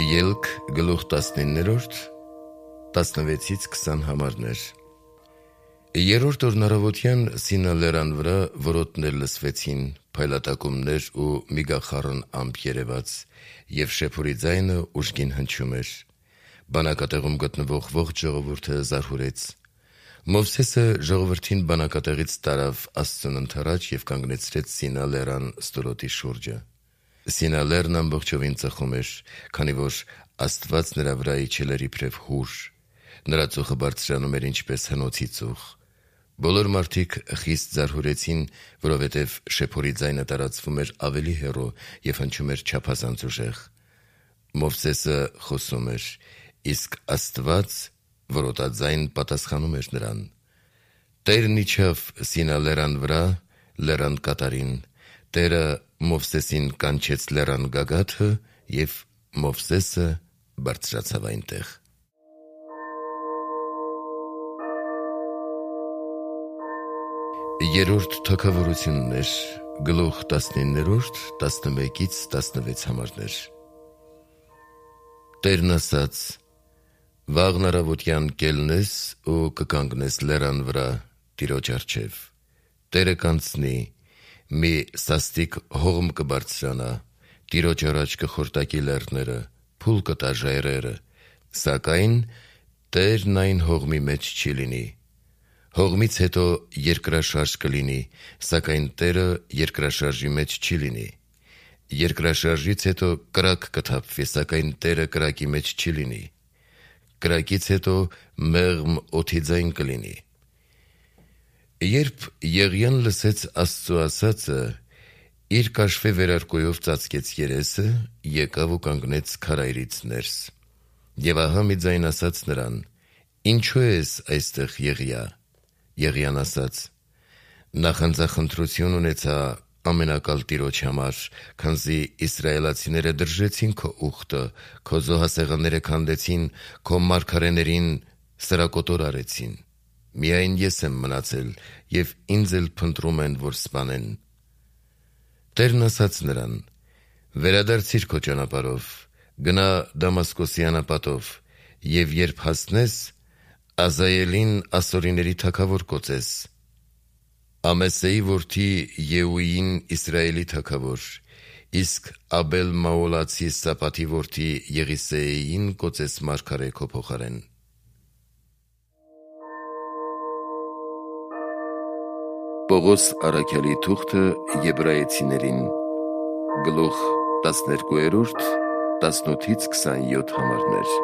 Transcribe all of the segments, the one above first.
Ելք գլուխ 19-րդ 16-ից 20 համարներ։ Երրորդ օրն առավոտյան Սինա լեռան վրա որոտներ լսվեցին, փայլատակումներ ու միգախառն ամպ երևաց, և շեփորի ձայնը ուժգին հնչում էր։ Բանակատեղում գտնվող ողջ ժողովուրդը զարհուրեց։ Մովսեսը ժողովրդին բանակատեղից տարավ Աստծուն ընդառաջ և կանգնեցրեց Սինա լեռան ստորոտի շուրջը։ Սինա լեռն ամբողջովին ծխում էր, քանի որ Աստված նրա վրա իջել էր իբրև հուր։ Նրա ծուխը բարձրանում էր ինչպես հնոցի ծուխ։ Բոլոր մարդիկ խիստ զարհուրեցին, որովհետև շեփորի ձայնը տարածվում էր ավելի հեռու և հնչում էր չափազանց ուժեղ։ Մովսեսը խոսում էր, իսկ Աստված որոտաձայն պատասխանում էր նրան։ Տերն իջավ Սինա լեռան վրա, լեռան կատարին։ Տերը Մովսեսին կանչեց լեռան գագաթը, և Մովսեսը բարձրացավ այնտեղ։ Երրորդ թագավորություններ, գլուխ 19-րդ 11-ից 16 համարներ։ Տերն ասաց. «Վաղն առավոտյան կելնես ու կկանգնես լեռան վրա Տիրոջ առջև։ Տերը կանցնի, մի սաստիկ հողմ կբարձրանա, Տիրոջ առաջ կխորտակի լեռները, փուլ կտա ժայռերը, սակայն Տերն այն հողմի մեջ չի լինի։ Հողմից հետո երկրաշարժ կլինի, սակայն Տերը երկրաշարժի մեջ չի լինի։ Երկրաշարժից հետո կրակ կթափվի, սակայն Տերը կրակի մեջ չի լինի։ Կրակից հետո մեղմ օդի ձայն կլինի»։ Երբ Եղիան լսեց Աստծու ասածը, իր կաշվե վերարկուով ծածկեց երեսը, եկավ ու կանգնեց քարայրից ներս։ Եվ ահա մի ձայն ասաց նրան. «Ինչո՞ւ ես այստեղ, Եղիա»։ Եղիան ասաց. «Նախանձախնդրություն ունեցա ամենակալ Տիրոջ համար, քանզի իսրայելացիները դրժեցին քո ուխտը, քո զոհասեղանները քանդեցին, քո մարգարեներին սրակոտոր արեցին։ Միայն ես եմ մնացել, և ինձ էլ փնտրում են, որ սպանեն»։ Տերն ասաց նրան. «Վերադարձիր քո ճանապարհով, գնա Դամասկոսի անապատով, և երբ հասնես, Ազայելին ասորիների թագավոր կոծես, Ամեսեի որդի Եհուին Իսրայելի թագավոր, իսկ Աբել-Մաոլացի Սապաթի որդի Եղիսեին կոծես մարգարե քո փոխարեն»։ Պողոս առաքյալի թուղթը Եբրայեցիներին, գլուխ 12-րդ 18-ից 27 համարներ։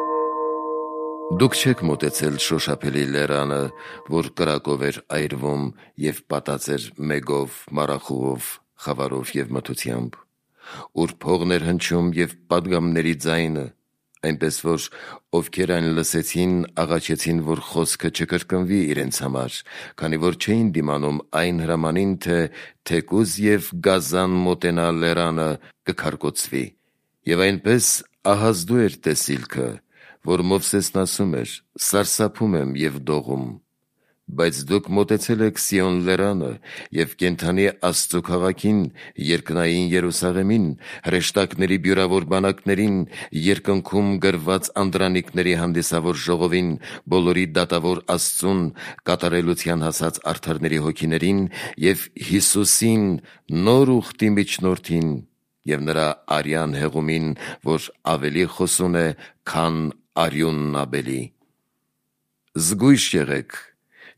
Դուք չեք մոտեցել շոշափելի լեռանը, որ կրակով էր այրվում և պատած էր մեգով, մառախուղով, խավարով և մթությամբ, ուր փողն էր հնչում և պատգամների ձայնը, այնպես որ ովքեր այն լսեցին, աղաչեցին, որ խոսքը չկրկնվի իրենց համար, քանի որ չէին դիմանում այն հրամանին, թե թեկուզ և գազան մոտենա լեռանը, կքարկոծվի։ Եվ այնպես ահազդու էր տեսիլքը, որ Մովսեսն ասում էր. «Սարսափում եմ և դողում»։ Բայց դուք մոտեցել եք Սիոն լեռանը և կենդանի Աստծու քաղաքին, երկնային Երուսաղեմին, հրեշտակների բյուրավոր բանակներին, երկնքում գրված անդրանիկների հանդիսավոր ժողովին, բոլորի դատավոր Աստծուն, կատարելության հասած արդարների հոգիներին և Հիսուսին, նոր ուխտի միջնորդին, և նրա արյան հեղումին, որ ավելի խոսուն է, քան արյունն Աբելի։ Զգույշ եղեք,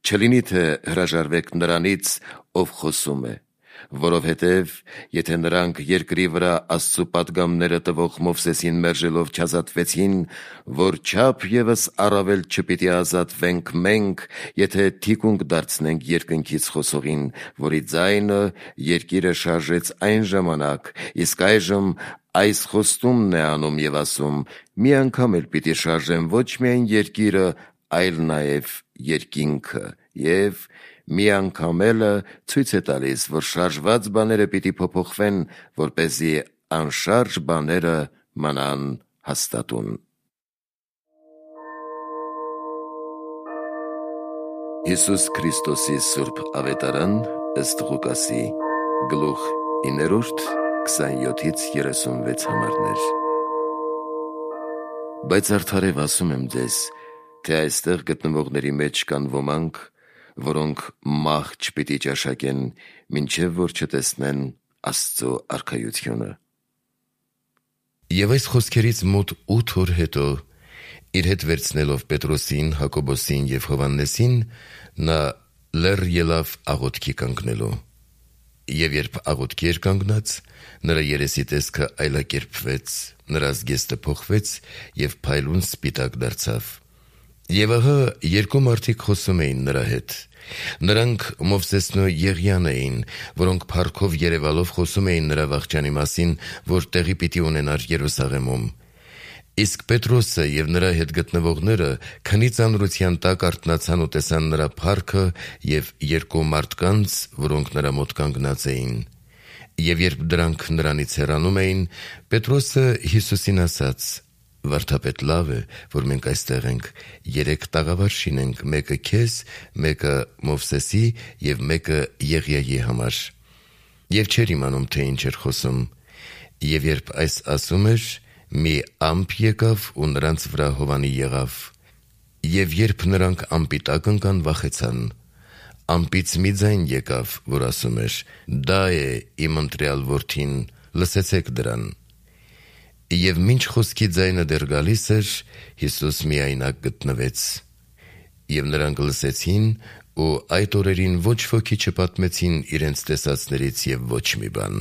չլինի թե հրաժարվեք նրանից, ով խոսում է, որովհետև եթե նրանք երկրի վրա Աստծու պատգամները տվող Մովսեսին մերժելով չազատվեցին, որչափ ևս առավել չպիտի ազատվենք մենք, եթե թիկունք դարձնենք երկնքից խոսողին, որի ձայնը երկիրը շարժեց այն ժամանակ, իսկ այժմ այս խոստումն է անում և ասում. «Մի անգամ էլ պիտի շարժեմ ոչ միայն երկիրը, այլ նաև երկինքը»։ Եվ մի անգամ էլը ցույց է տալիս, որ շարժված բաները պիտի փոփոխվեն, որպեսզի անշարժ բաները մնան հաստատուն։ Հիսուս Քրիստոսի Սուրբ Ավետարան ըստ Ղուկասի, գլուխ 9, 27-ից 36 համարներ։ Բայց արդարև ասում եմ ձեզ, թե այստեղ գտնվողների մեջ կան ոմանք, որոնք մահ չպիտի ճաշակեն, մինչև որ չտեսնեն Աստծո արքայությունը։ Եվ այս խոսքերից մոտ 8 օր հետո, իր հետ վերցնելով Պետրոսին, Հակոբոսին և Հովհաննեսին, նա լեռ ելավ աղոթքի կանգնելու։ Եվ երբ աղոթքի էր կանգնած, նրա երեսի տեսքը այլակերպվեց, նրա զգեստը փոխվեց և փայլուն սպիտակ դարձավ։ Եվ ահա երկու մարդիկ խոսում էին նրա հետ։ Նրանք Մովսեսն ու Եղիան էին, որոնք փառքով երևալով խոսում էին նրա վախճանի մասին, որ տեղի պիտի ունենար Երուսաղեմում։ Իսկ Պետրոսը և նրա հետ գտնվողները քնի ծանրության տակ արթնացան ու տեսան նրա փառքը և երկու մարդկանց, որոնք նրա մոտ կանգնած էին։ Եվ երբ դրանք նրանից հեռանում էին, Պետրոսը Հիսուսին ասաց. «Վարդապետ, լավ է, որ մենք այստեղ ենք, 3 տաղավար շինենք, մեկը քեզ, մեկը Մովսեսի և մեկը Եղիայի համար»։ Եվ չէր իմանում, թե ինչ էր խոսում։ Եվ երբ այս ասում էր, մի ամպ եկավ ու նրանց վրա հովանի եղավ։ Եվ երբ նրանք ամպի տակ ընկան, վախեցան։ Ամպից մի ձայն եկավ, որ ասում էր. «Դա է իմ ընտրյալ որդին, լսեցեք դրան»։ Եվ մինչ խոսքի ձայնը դեռ գալիս էր, Հիսուս միայնակ գտնվեց։ Եվ նրանք լսեցին, ու այդ օրերին ոչ ոքի չպատմեցին իրենց տեսածներից և ոչ մի բան։